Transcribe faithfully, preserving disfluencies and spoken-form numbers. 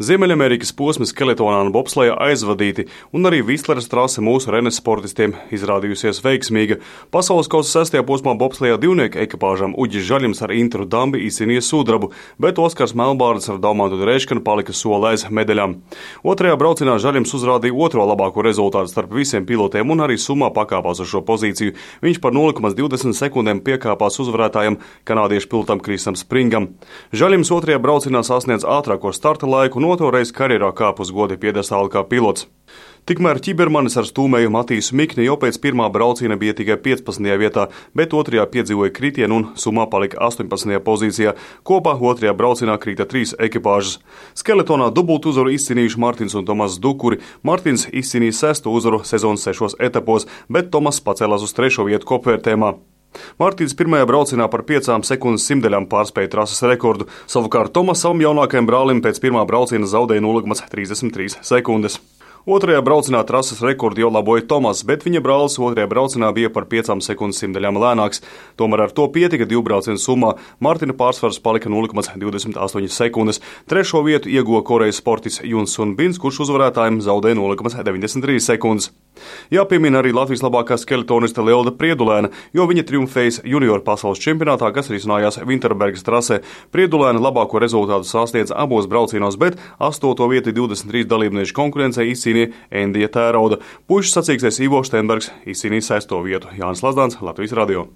Ziemeļamerikas posmi skeletonā un bobslejā aizvadīti, un arī Vistleres trase mūsu Rennes sportistiem izrādījusies veiksmīga. Pasaules kausa sestajā posmā bobslejā divnieku ekipāžām Uģis Žaļims ar Intru Dambi izcīnīja sudrabu, bet Oskars Melbārds ar Daumantu Reiškanu palika soli aiz medaļām. Otrajā braucienā Žaļims uzrādīja otro labāko rezultātu starp visiem pilotiem un arī summā pakāpās uz šo pozīciju. Viņš par nulle komats divdesmit sekundēm piekāpās uzvarētājam kanādiešu pilotam Krisam Springam. Žaļims otrajā braucienā sasniedz ātrāko starta laiku un otro reizi karjerā kāp uz goda piedestāla kā pilots. Tikmēr ķibermanis ar stūmēju Matīsu Mikni jau pēc pirmā brauciena bija tikai piecpadsmitajā vietā, bet otrajā piedzīvoja kritienu un summā palika astoņpadsmitajā pozīcijā. Kopā otrajā braucienā krita trīs ekipāžas. Skeletonā dubultu uzvaru izcīnījuši Martins un Tomas Dukuri. Martins izcīnīja sesto uzvaru sezonas sešos etapos, bet Tomas pacēlās uz trešo vietu kopvērtējumā. Martins pirmajā braucienā par piecām sekundes simtdaļām pārspēja trases rekordu, savukārt Tomas savam jaunākajam brālim pēc pirmā brauciena zaudēja nulle komats trīsdesmit trīs sekundes. Otrajā braucienā trases rekordu jau laboja Tomas, bet viņa brālis otrajā braucienā bija par piecām sekundes simtdaļām lēnāks. Tomēr ar to pietika divu braucienu summā. Martina pārsvars palika nulle komats divdesmit astoņas sekundes. Trešo vietu ieguva Korejas sportists Juns Sun Bins, kurš uzvarētājiem zaudēja nulle komats deviņdesmit trīs sekundes. Jāpiemina arī Latvijas labākā skeletoniste Lelda Priedulēna, jo viņa triumfējas junioru pasaules čempionātā, kas risinājās Vinterbergas trasē. Priedulēna labāko rezultātu sasniedza abos braucienos, bet astoto vietu divdesmit trīs dalībnieku konkurencē izcīnīja Endija Tērauda. Puišu sacīkstēs Ivo Štenbergs izcīnīja sesto vietu. Jānis Lazdāns, Latvijas radio.